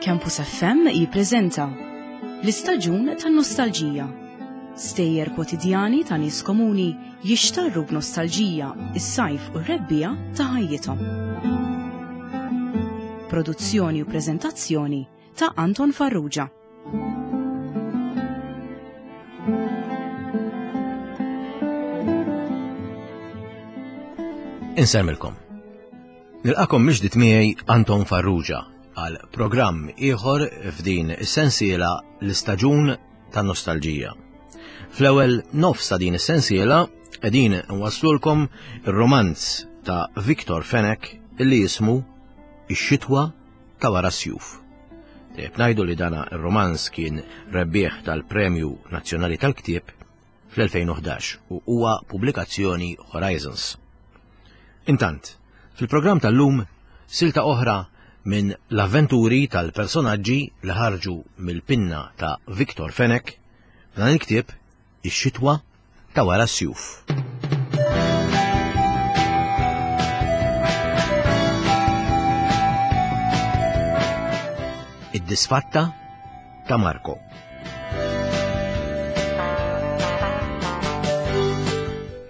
Campus FM jippreżenta L-istaġun tan-nostalġija. Stejjer kwotidjani ta' nies komuni jixtarru b'nostalġija is-sajf u r-rebbiegħa ta' ħajjithom. Produzzjoni u preżentazzjoni ta' Anton Farrugia. Insemmilkom. Nilqakom miġdit miegħi Anton Farrugia għal programm ieħor f'din is-sensiela l-istaġun tan-nostalġija. Fl-ewwel nofs ta' din is-sensiela qegħdin nwaslulkom ir-romanz ta' Victor Fenech illi jismu Ix-xitwa ta' wara s-sjuf. Tajjeb ngħidu li dana r-romanz kien rebbieħ tal-Premju Nazzjonali tal-Ktieb fl-2011 u huwa pubblikazzjoni Horizons. Intant, fil-programm tal-lum silta oħra minn l-avventuri tal-personaġġi li ħarġu mill-pinna ta' Victor Fenech f'dan il-ktieb Ix-xitwa ta' wara s-sjuf. Id-disfatta ta' Marco.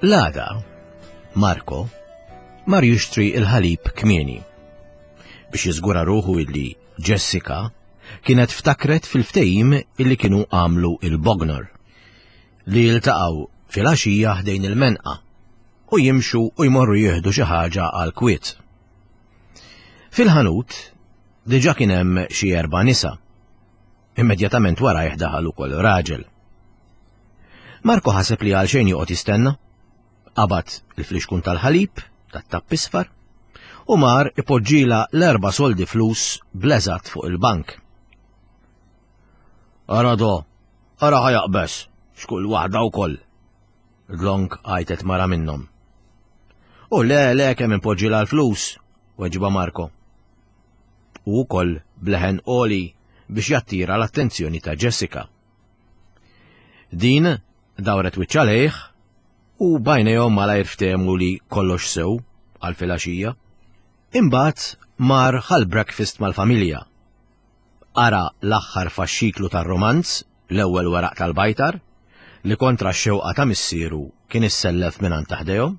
L-għada, Marco mar jixtri il-ħalib kmieni biex jiżgura ruħu illi Jessica kienet ftakret fil-ftehim illi kienu għamlu il-Bognor li jiltaqgħu filgħaxija ħdejn il-menqa u jimxu u jmorru jieħdu xi ħaġa għal kwiet. Fil-ħanut diġà kien hemm xi erba' nisa. Immedjatament warajh daħal ukoll raġel. Marko ħaseb li għal xejn joqgħod jistenna. Qabad il-flixkun tal-ħalib, tat-tapp isfar, u mar ipoġġila l-erba' soldi flus bleżat fuq il-bank. Ara do, ara ħajaqbeż, x'kull waħda wkoll. Dlonk għajtet mara minnhom. U le, le kemm impoġġila l-flus, weġiba Marko. U wkoll bleħen għoli biex jattira l-attenzjoni ta' Jessica. Din dawret wiċċha lejh u bajnejhom malajr ftehmu li kollox sew għal filgħaxija. Imbagħad mar ħal breakfast mal-familja. Qara l-aħħar faxxiklu tar-romanz, l-ewwel weraq tal-bajtar, li kontra x-xewqa ta' missieru kien issellef mingħand ta' ħdejhom,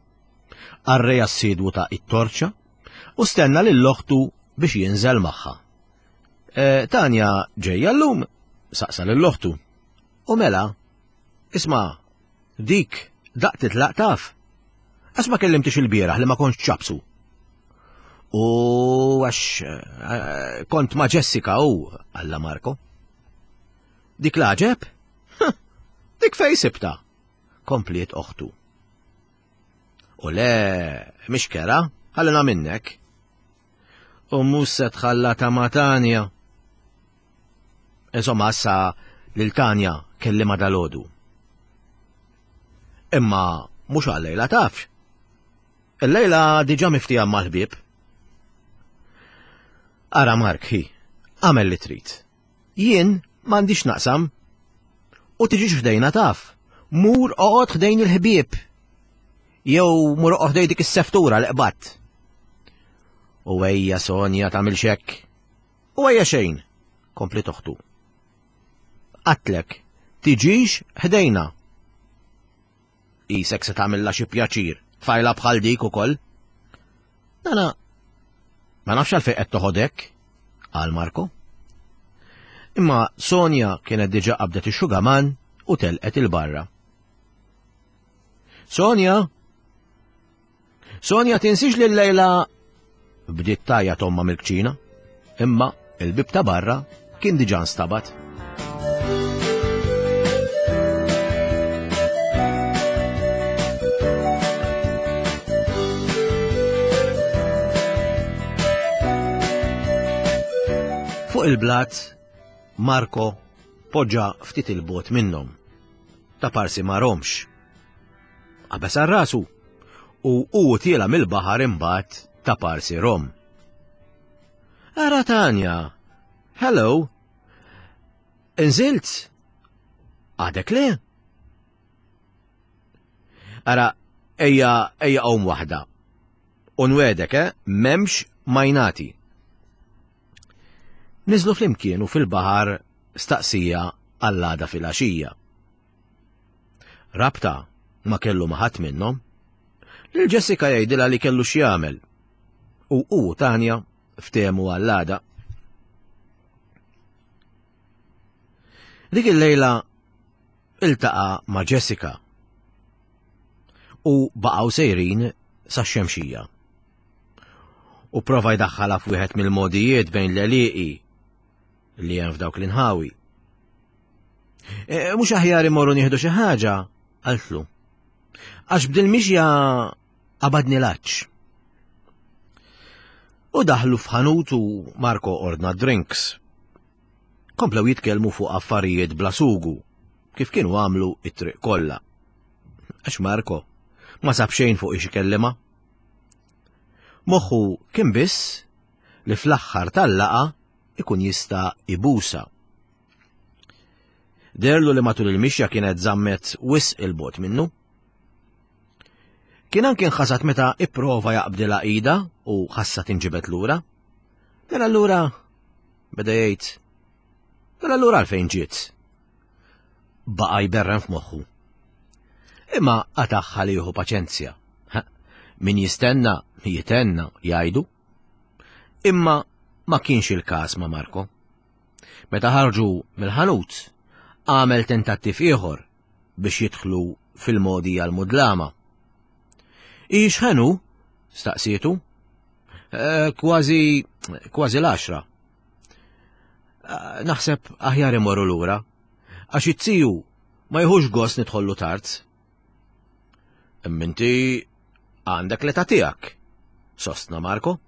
qarrej assidwu ta' it-torċa u stenna lil oħtu biex jinżel magħha. E, Tanja ġejja llum, saqsa lil oħtu. U mela, isma' dik daq titlaq taf. Għax ma kellimtix il-bieraħ li ma kontx ċapsu. U għax eh, kont ma' Jessica u, għalla Marko. Dik laġeb? Dik fej sibta, kompliet oħtu. U le, mhix kera, ħallina minnek. U mhux se tħalla ta' ma' Tanja. Insomma, issa lil Tanja kellima dalodu. Imma mhux għal-lejla tafx. Il-lejla diġà miftija mal-ħbieb. Ara Mark, hi, għamel li trid. Jien m'għandix naqsam. U tiġix ħdejna taf. Mur oqgħod ħdejn il-ħbieb. Jew mur oqgħod ħdejn dik is-seftura li qbadt. U ejja Sonja tagħmilx hekk. U ejja xejn, kompli toħtu. Qatlek, tiġix ħdejna. Isek se tagħmilha xi pjaċir, tfajla bħal dik ukoll. Nana, ma nafx għalfejn qed toħodek, qal Marko. Imma Sonja kienet diġà qabdet ix-xugaman u telqet il-barra. Sonja! Sonja tinsiex li l-lejla bdiet tajja tomma mill-kċina, imma il-bib ta' barra kien diġà nstabat. Fuq il-blat, Marco poġġa ftit il-bot minnhom. Ta' parsi ma romx. Qabeż għal rasu u hu tiela mill-baħar imbagħad ta' parsi rom. Ara Tanja, hello. Inżilt? Għadek le? Ara, ejja, ejja qawm waħda. U nwedek, eh, memx majnati. Niżlu flimkien u fil-baħar staqsija għall-għada filgħaxija. Rabta ma kellu ma' ħadd minnhom. Lil Jessica jgħidilha li kellu x'jagħmel. U hu u Tanja ftehmu għall-għada. Dik il-lejla iltaqa' ma' Jessica u baqgħu sejrin sax-xemxija. U prova jdaħħalha f'wieħed mill-mogħdijiet bejn l-għelieqi li hemm f'dawk l-inħawi. E, mhux aħjar imorru nieħdu xi ħaġa, qaltlu. Għax b'dil mixja qabadni l-għatx. U daħlu f'ħanut u Marco ordna drinks. Komplew jitkellmu fuq affarijiet bla sugu, kif kienu għamlu it-triq kollha. Għax Marco ma sab xejn fuq ix ikellima. Moħħu kien biss li fl-aħħar tal-laqa ikun jista' ibusa. Derlu li matul il-mixja kienet żammet wisq il-bot minnu. Kien anke nħasat meta ipprova jaqbdilha ida u ħassa tinġibed lura. Mela allura beda jgħid, mela allura għalfejn ġiet? Baqa' jberren f'moħħu. Imma qatagħha li jieħu paċenzja. Min jistenna, jitenna, jgħidu. Imma ma kienx il-każ ma' Marco. Meta ħarġu mill-ħanut, għamel tentattiv ieħor biex jidħlu fil-modi għal-mudlama. Ix ħenu? staqsietu. Eh, kważi, kważi l-għaxra. Eh, naħseb aħjar imorru lura, għax it-tiju ma jħux gost nidħollu tard. Imma inti għandek l-età tiegħek, sostna Marco.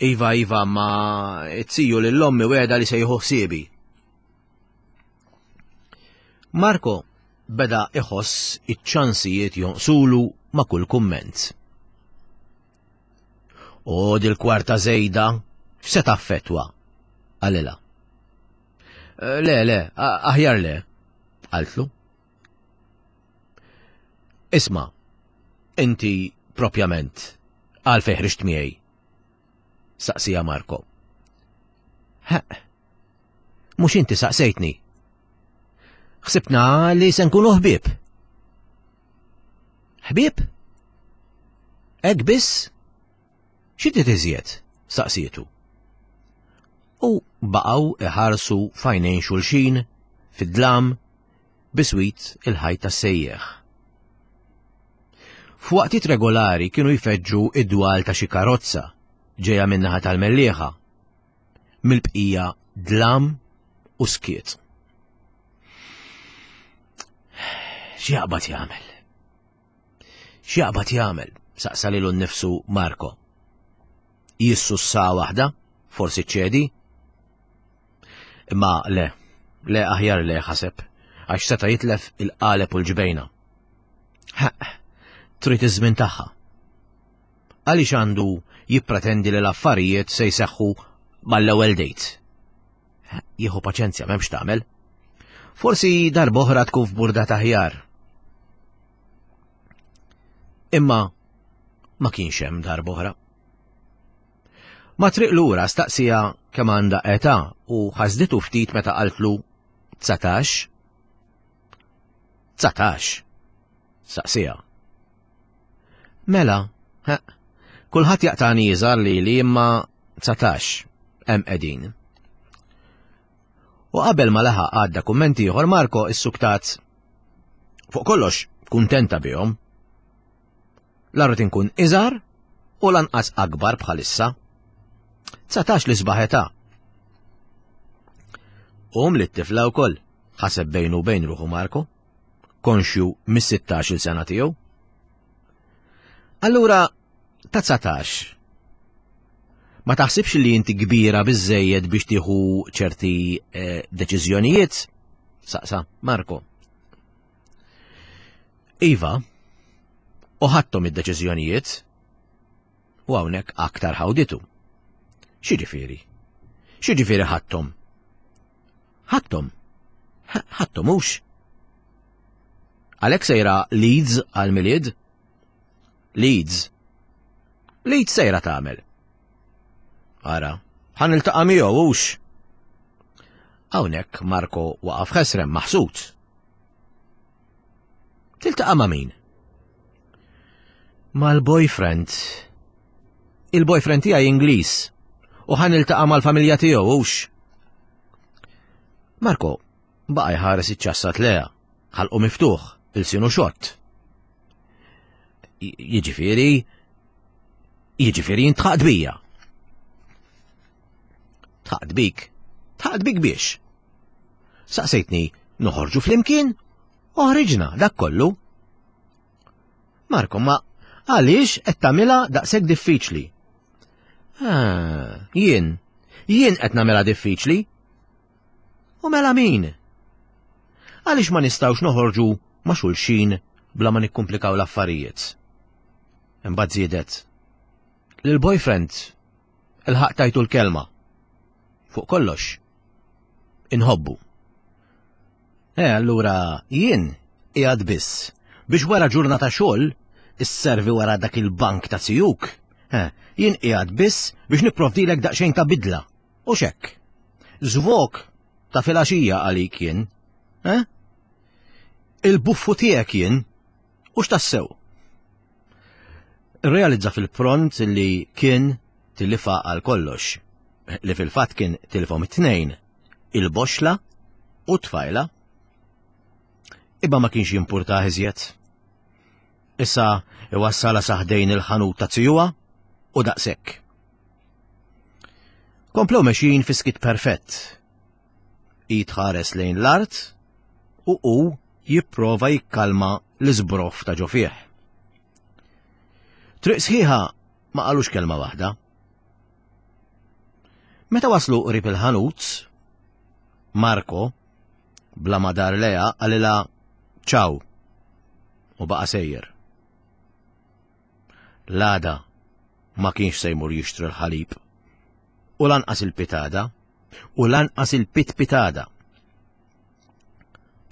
Iva, iva, ma it-tiju lill-ommi wegħda li se jieħu ħsiebi. Marco beda iħoss iċ-ċansijiet jonqsulu ma' kull kumment. U dil-kwarta żejda x'se taffettwa? Qalilha. Eh, le, le, aħjar le, qaltlu. Isma', inti propjament għalfejn ħriġt miegħi? Saqsija Marco. Ħeq, mhux inti saqsejtni. Ħsibna li se nkunu ħbieb. Ħbieb? Hekk biss? Xi trid iżjed? saqsietu. U baqgħu iħarsu f'għajnejn xulxin fid-dlam biswit il-ħajt tas-sejjeħ. F'waqtiet regolari kienu jfeġġu id-dwal ta' xi karozza ġejja min-naħa tal-Mellieħa. Mill-bqija dlam u skiet. X'jaqbad jagħmel? X'jaqbad jagħmel? saqsa lilu nnifsu Marco. Jissussa waħda, forsi ċedi? Imma le, le aħjar le ħaseb, għax seta' jitlef il-qaleb u l-ġbejna. Ħaq, trid iż-żmien tagħha. Għaliex għandu jippretendi li l-affarijiet se jseħħu mal-ewwel date? Jieħu paċenzja m'hemmx tagħmel. Forsi darb'oħra tkun f'burda taħjar. Imma ma kienx hemm darb'oħra. Ma triq lura staqsija kemm għandha età u ħasditu ftit meta qaltlu 19. 19. Saqsija. Mela, kulħadd jaqtani iżgħar lili imma 19 hemm qegħdin. U qabel ma laħaq għadda kumment ieħor Marco issuktat fuq kollox kuntenta bihom. La rrid inkun iżgħar u lanqas akbar bħalissa. 19 li sbaħ età. Um li t-tifla wkoll, ħaseb bejnu u bejn ruħu Marco, konxju mis-16 il sena tiegħu. Allura, ta' 19. Ma taħsibx li inti kbira biżejjed biex tieħu ċerti eh, deċiżjonijiet? Saqsa, Marco. Iva, u ħadthom id-deċiżjonijiet u hawnhekk aktar ħawditu. X'jiġifieri? X'jiġifieri ħadthom? Ħadthom. Ħadthom hux. Għalhekk sejra Leeds għal-Milied? Leeds. Leeds sejra tagħmel. Ara, Ħa niltaqa' miegħu hux. Hawnhekk Marco waqaf ħesrem maħsud. Tiltaqa' ma' min? Mal-boyfriend. Il-boyfriend tiegħi Ingliż u ħa niltaqa' mal-familja tiegħu hux. Marco baqa' jħares iċ-ċassat leha, ħalqu miftuħ, ilsienu xott. Jiġifieri, jiġifieri jintħaqt bija. Tħaqt bik? Tħaqt bik biex? Saqsejtni noħorġu flimkien? Oħriġna dak kollu. Marko, ma għaliex qed tagħmilha daqshekk diffiċli? Ah, jien, jien qed nagħmilha diffiċli. U mela min? Għaliex ma nistgħux noħorġu ma' xulxin bla ma nikkumplikaw l-affarijiet? Imbagħad żiedet. Lil-boyfriend il-ħaq tajtu l-kelma. Fuq kollox, inħobbu. E allura jien qiegħed biss biex wara ġurnata xogħol isservi wara dak il-bank ta' sijuk. Eh, jien qiegħed biss biex nipprovdilek daqsxejn ta' bidla. U xekk. Żvok ta' filgħaxija għalik jien. Eh? Il-buffu tiegħek jien. U x'tassew? Realizza fil-pront li kien tilifa għal kollox, li fil-fatt kien tilifhom it-tnejn, il-boxla u t-tfajla. Imma ma kienx jimpurtah iżjed. Issa iwassala saħdejn il-ħanut ta' zijuha u daqshekk. Komplew mexjin fi skit perfett. Hi tħares lejn l-art u hu jipprova jikkalma l-iżbroff ta' ġo fih. Triq sħiħa ma qalux kelma waħda. Meta waslu qrib il-ħanut, Marco, bla ma dar leha qalilha ċaw u baqa' sejjer. L-għada ma kienx se jmur jixtri l-ħalib u lanqas il-pitada u lanqas il-pitpitada.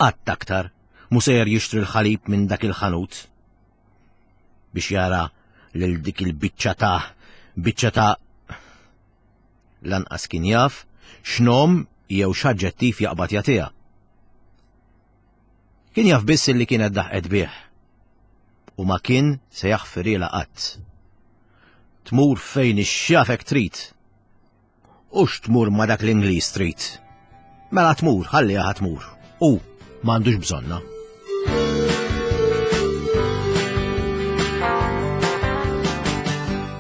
Qatt aktar mu sejjer jixtri l-ħalib minn dak il-ħanut biex jara lil dik il-biċċa ta' biċċa ta' lanqas kien jaf x'nom jew x'aġġettiv jaqbad jagħtiha. Kien jaf biss li kienet daħqet bih u ma kien se jaħfirila qatt. Tmur fejn ix-xjafek trid. U x'tmur ma dak l-Ingliż trid. Mela tmur, ħalliha tmur. U m'għandux bżonna.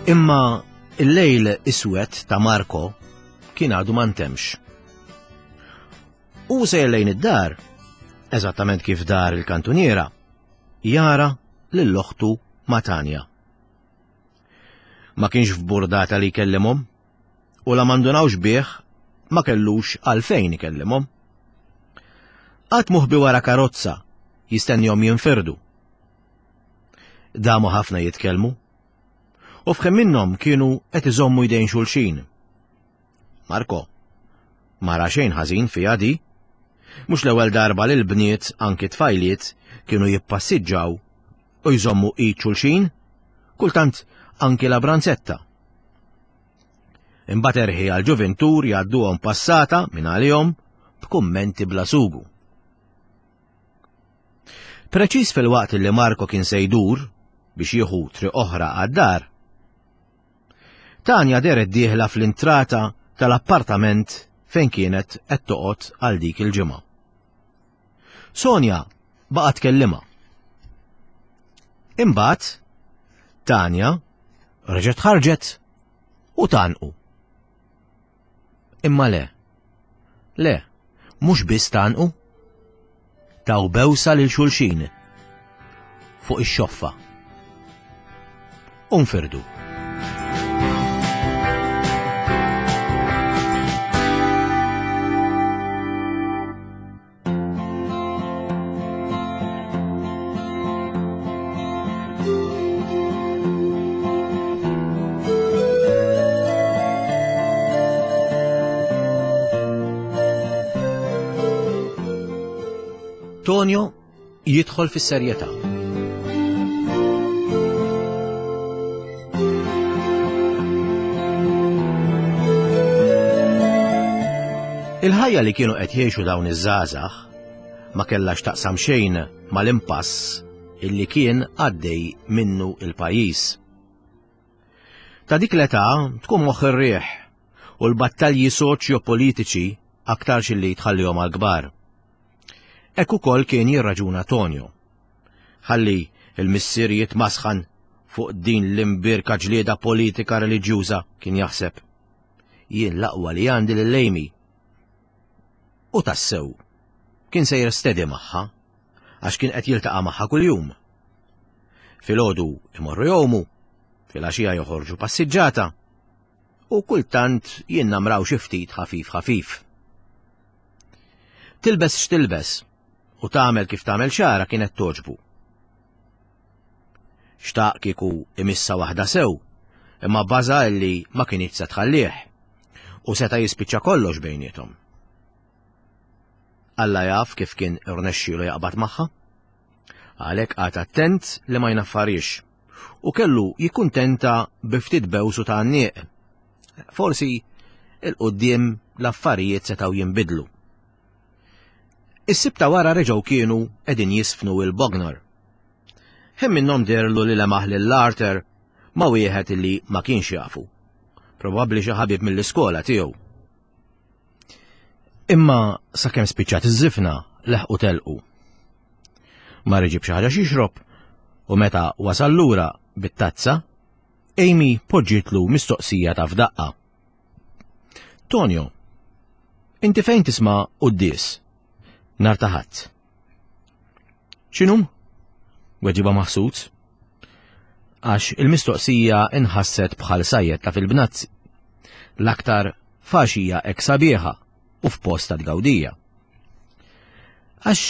Imma il-lejl iswed ta' Marco kien għadu ma ntemx. U sejjer lejn id-dar, eżattament kif dar il-kantuniera, jara lil oħtu ma' Tanja. Ma kienx f'burdata li jkellimhom u la mandunawx bih ma kellux għalfejn ikellimhom. Qatt muħbi wara karozza jistennihom jinfirdu. Damu ħafna jitkellmu u f'ħin minnhom kienu qed iżommu jdejn xulxin. Marco, ma ra xejn ħażin fiha di. Mhux l-ewwel darba li l-bniet anki tfajliet kienu jippassiġġaw u jżommu id xulxin, kultant anki la branzetta. Imbagħad erħi għal ġuvintur jgħadduhom passata minn għalihom b'kummenti bla sugu. Preċiż fil-waqt li Marco kien se jdur biex jieħu triq oħra għad-dar, Tanja dehret dieħla fl-intrata tal-appartament fejn kienet qed toqgħod għal dik il-ġimgħa. Sonja baqgħet tkellimha. Imbagħad Tanja reġgħet ħarġet u tanqu. Imma le. Le, mhux biss tgħannqu. Taw bewsa lil xulxin fuq ix-xoffa. U nfirdu. Tonio jidħol fis-serjetà. Il-ħajja li kienu qed jgħixu dawn iż-żgħażagħ ma kellha x'taqsam xejn mal-impass illi kien għaddej minnu il-pajjiż. Ta' dik l-età tkun moħħ ir-riħ u l-battalji soċjo-politiċi aktarx illi tħallihom għall-kbar. Hekk ukoll kien jirraġuna Tonio. Ħalli il-missier jitmasħan fuq din l-imbierka ġlieda politika reliġjuża kien jaħseb. Jien l-aqwa li għandi lil Amy. U tassew, kien sejjer steady magħha, għax kien qed jiltaqa' magħha kuljum. Filgħodu imorru jgħumu, filgħaxija joħorġu passiġġata, u kultant jinnamraw xi ftit ħafif ħafif. Tilbes x'tilbes u tagħmel kif tagħmel xara kienet toġbu. Xtaq kieku imissa waħda sew, imma baża illi ma kinitx se tħallih u seta' jispiċċa kollox bejniethom. Alla jaf kif kien irnexxielu jaqbad magħha. Għalhekk qagħad attent li ma jnaffarix u kellu jikkuntenta bi ftit bews u tgħanniq. Forsi il-quddiem l-affarijiet setgħu jinbidlu. Is-Sibt ta' wara reġgħu kienu qegħdin jisfnu il-Bognor. Ħin minnhom deherlu li lemaħ lil Arthur ma' wieħed li ma kienx jafu. Probabbli xi ħabib mill-iskola tiegħu. Imma sakemm spiċċat iż-żifna leħqu telqu. Mar iġib xi ħaġa xixrob u meta wasal lura bit-tazza, Amy poġġietlu mistoqsija ta' f'daqqa. Tonio, inti fejn tisma' quddies? Nar ta' Ħadd. X'inhu? Weġiba maħsud. Għax il-mistoqsija inħasset bħal sajjetta fil-bnazzi. L-aktar faxija hekk sabiħa u f'post ta' tgawdija. Għax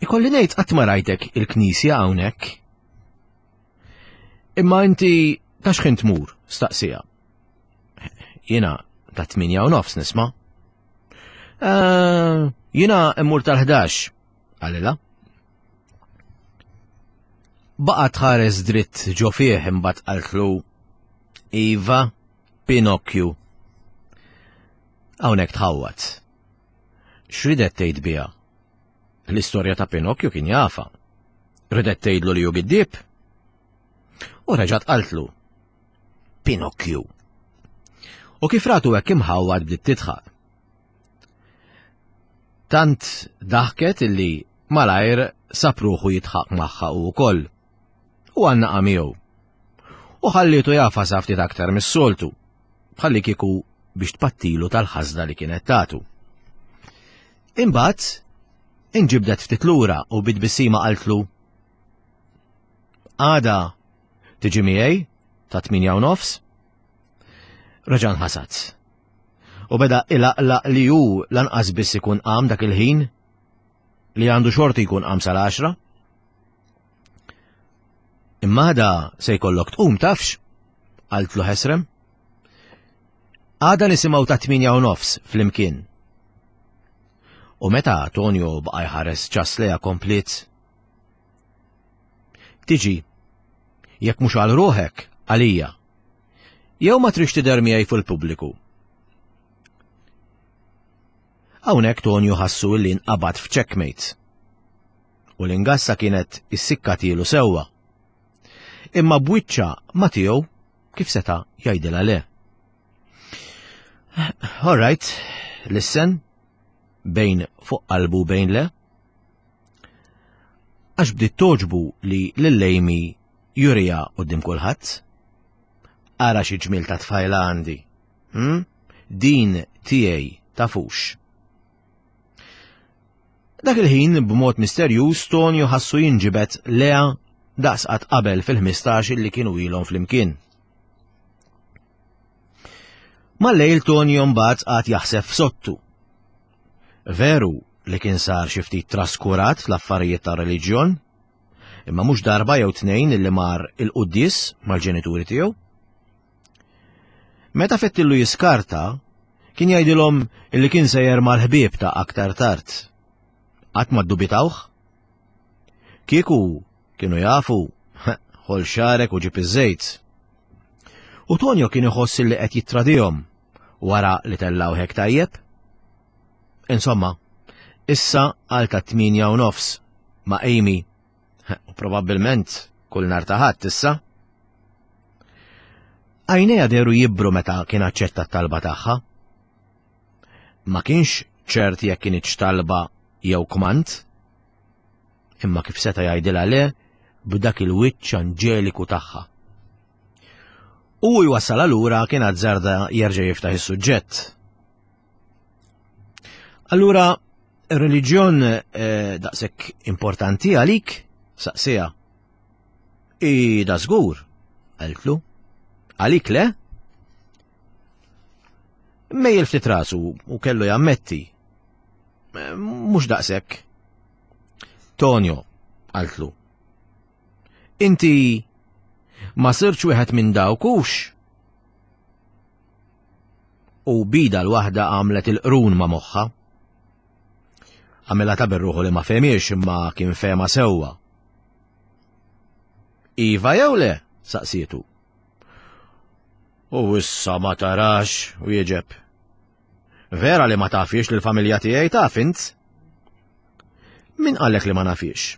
ikolli ngħid qatt ma rajtek il-knisja hawnhekk. Imma inti ta' x'ħin tmur, staqsija. Jiena ta' 8 u nofs nisma'. Eh, jiena immur tal-11, qalilha. Baqgħet tħares dritt ġo fih imbagħad qaltlu Iva, Pinocchio. Hawnhekk tħawwad. X'ridet tgħid biha? L-istorja ta' Pinocchio kien jafa. Ridet tgħidlu li hu giddieb? U reġgħet qaltlu Pinocchio. U kif ratu hekk imħawwad bdiet tidħaq. Tant daħket illi malajr sab ruħu jidħaq magħha u wkoll. U għannaqa miegħu. U ħallietu jafas ftit aktar mis-soltu, bħalli kieku biex tpattilu tal-ħażna li kienet tatu. Imbagħad inġibdet ftit lura u bit-tbissima qaltlu Għada tiġi miegħi ta' 8:30? Reġa' nħasad. U beda ilaqlaq li hu lanqas biss ikun qam dak il-ħin li għandu xorti jkun qam sal-10. Imma għada se jkollok tqum tafx, qaltlu ħesrem. Għada nisimgħu ta' 8:30 flimkien. U meta Tonio baqa' jħares ċas leja kompliet. Tiġi, jekk mhux għal ruħek, għalija. Jew ma trix tidher miegħi fil-pubbliku. Hawnhekk Tonio ħassu li nqabad f'checkmate. U l-ingassa kienet issikkatilu sewwa. Imma b'wiċċa ma tiegħu kif seta' jgħidilha le. All right, listen, bejn fuq qalbu bejn le. Għax bdiet toġbu li lil Amy jurija quddiem kulħadd. Ara xi ġmiel ta' tfajla għandi. Hmm? Din tiegħi tafux. Dak il-ħin b'mod misterjuż Tonio ħassu jinġibed lea daqs qatt qabel fil-15 li kienu ilhom flimkien. Mal-lejl Tonio mbagħad qagħad jaħseb f'sottu. Veru li kien sar xi ftit traskurat fl-affarijiet ta' reliġjon, imma mhux darba jew tnejn illi mar il-quddies mal-ġenituri tiegħu. Meta fettillu jiskarta, kien jgħidilhom illi kien sejjer mal-ħbieb ta' aktar tard. Qatt ma ddubitawh? Kieku kienu jafu, ħol xarek u ġib iż-żejt. U Tonio kien iħoss li qed jittradihom wara li tellgħu hekk tajjeb. Insomma, issa għal ta' 8:30 ma' Amy. U probabbilment kull nhar ta' Ħadd issa. Għajnejha dehru jibru meta kien aċċetta t-talba tagħha. Ma kienx ċert jekk kinitx talba jew kmand. Imma kif seta' jgħidilha le b'dak il-wiċċ anġeliku tagħha. U jwassalha lura kien azzarda jerġa' jiftaħ is-suġġett. Allura, ir-reliġjon eh, daqshekk importanti għalik? Saqsija. I da żgur, qaltlu. Għalik le? Mejjel ftit rasu u kellu jammetti. Eh, mhux daqshekk. Tonio, qaltlu. Inti ma sirtx wieħed minn dawk hux? U bida l-waħda għamlet il-qrun ma' moħħa. Għamilha ta' berruħu li ma fehmiex imma kien fehma sewwa. Iva jew le? saqsietu. U issa ma tarax, u jieġeb. Vera li ma tafiex li l-familja tiegħi taf int? Min qallek li ma nafiex?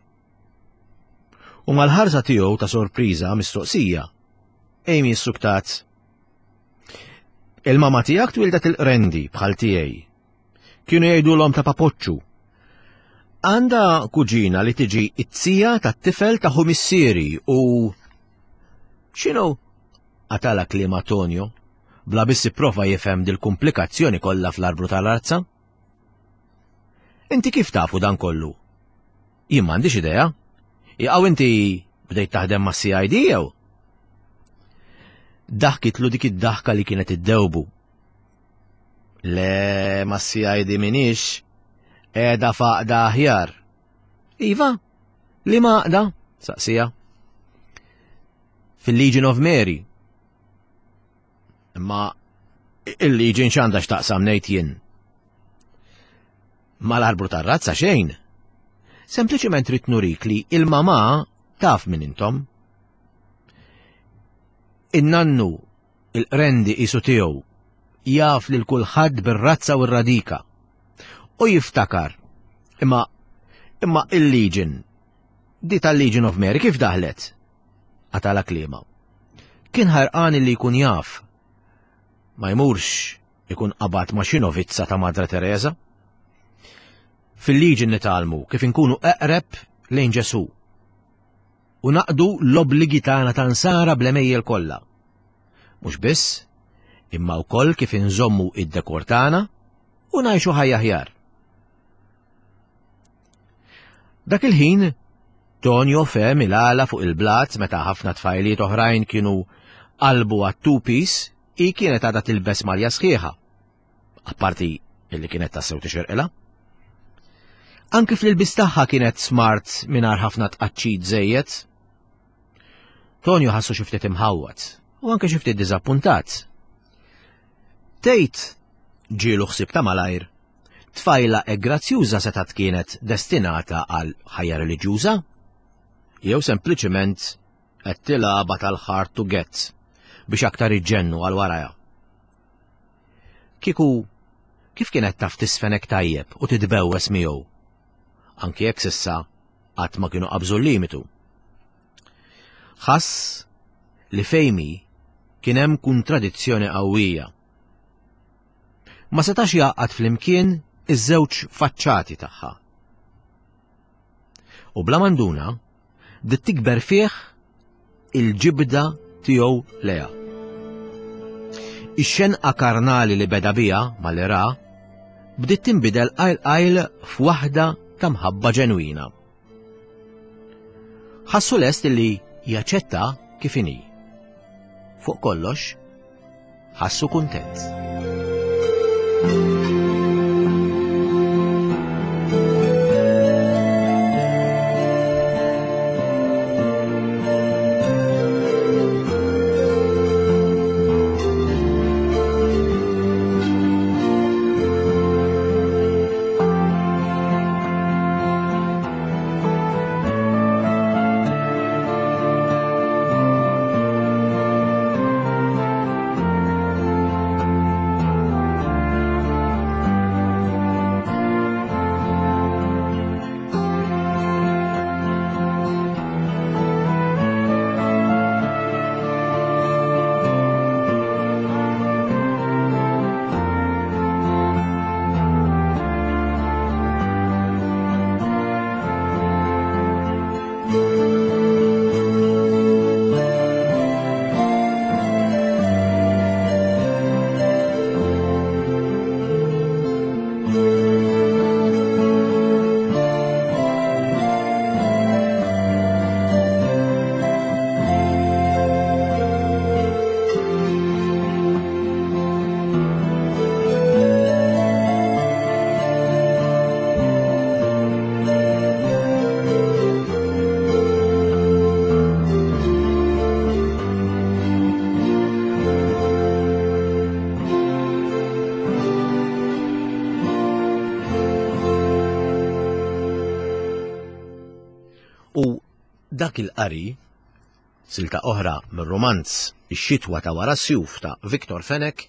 U mal-ħarsa tiegħu ta' sorpriża mistoqsija, Amy ssuktat. Il-mama tiegħek twildet il-qrendi bħal tiegħi. Kienu jgħidulhom ta' papoċċu. Għandha kuġina li tiġi it-tija tat-tifel ta' ħu missieri u x'inhu? Qatala kliem Antonio, bla biss ipprova jifhem dil-kumplikazzjoni kollha fl-arbru tal-arza. Inti kif tafu dan kollu? Jien m'għandix idea. Jaqaw inti bdejt taħdem ma' CID jew? Daħkitlu dik id-daħka li kienet iddewbu. Le ma' CID minix, qiegħda faqda aħjar. Iva, li ma għaqda? Saqsija. Fil-Legion of Mary. Imma il-Legion x'għandha x'taqsam ngħid jien. Mal-arbru tar-razza xejn. Sempliċement trid nurik li il-mamà taf min intom. In-nannu il-qrendi qisu tiegħu jaf lil kulħadd bir-razza u r-radika. U jiftakar. Imma imma il-Legion di tal-Legion of Mary kif daħlet? Qatala kliema. Kien ħarqan li jkun jaf. Ma jmurx ikun qabad ma' xi novizza ta' Madre Teresa. Fil-liġi nitgħallmu kif inkunu eqreb lejn Ġesù u naqdu l-obbligi tagħna ta' nsara bl-għemejjel kollha. Mhux biss, imma wkoll kif inżommu id-dekor tagħna u ngħixu ħajja aħjar. Dak il-ħin, Tonio fehem il-għala fuq il-blat meta ħafna tfajliet oħrajn kienu qalbu għat-two-piece, hi kienet għadha tilbes malja sħiħa. Apparti illi kienet tassew tixirqilha. Anki fl-ilbis tagħha kienet smart mingħajr ħafna tqaċċit żejjed. Tonio ħassu xi ftit imħawwad u anke xi ftit diżappuntat. Tgħid ġielu ħsieb ta' malajr Tfajla hekk grazzjuża setgħet kienet destinata għal ħajja reliġjuża? Jew sempliċement qed tilgħabha tal-hard to get biex aktar iġġennu għal warajha? Kieku kif kienet taf tisfenek tajjeb u titbewwes miegħu? Anki jekk s'issa qatt ma kienu qabżu l-limitu. Ħass li fejmi kien hemm kontradizzjoni qawwija. Ma setax jgħaqqad flimkien iż-żewġ faċċati tagħha. U bla manduna, bdiet tikber fih il-ġibda tiegħu leha. Ix-xenqa karnali li beda biha malli ra bdiet tinbidel qajl qajl f'waħda ta' mħabba ġenwina. Ħassu lest li jaċċetta kif inhi. Fuq kollox, ħassu kuntent. U dak il-qari, silta oħra mir-rumanz Ix-xitwa ta' wara s-sjuf ta' Victor Fenech,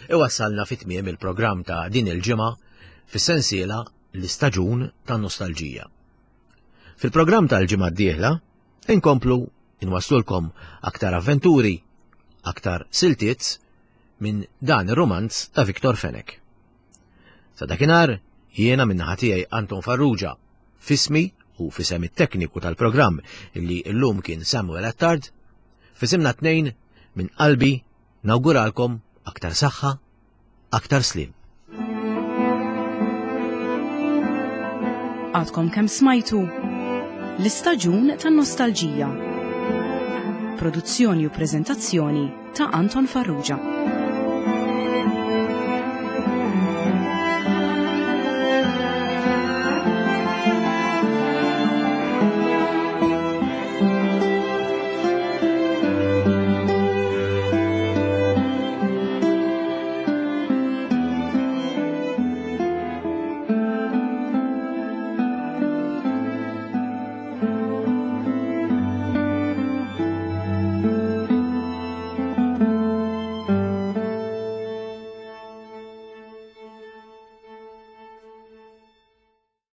iwassalna fi tmiem il-programm ta' din il-ġimgħa fis-sensiela L-Istaġun tan-Nostalġija. Fil-programm tal-ġimgħa d-dieħla inkomplu inwasslulkom aktar avventuri, aktar siltiet minn dan ir-rumanz ta' Victor Fenech. Sa dakinhar jiena min-naħa tiegħi Anton Farrugia F'ismi u f'isem it-tekniku tal-programm li llum kien Samuel Attard, f'isimna t-tnejn minn qalbi nawguralkom aktar saħħa, aktar sliem. Għadkom kemm smajtu L-istaġun tan-nostalġija. Produzzjoni u preżentazzjoni ta' Anton Farrugia.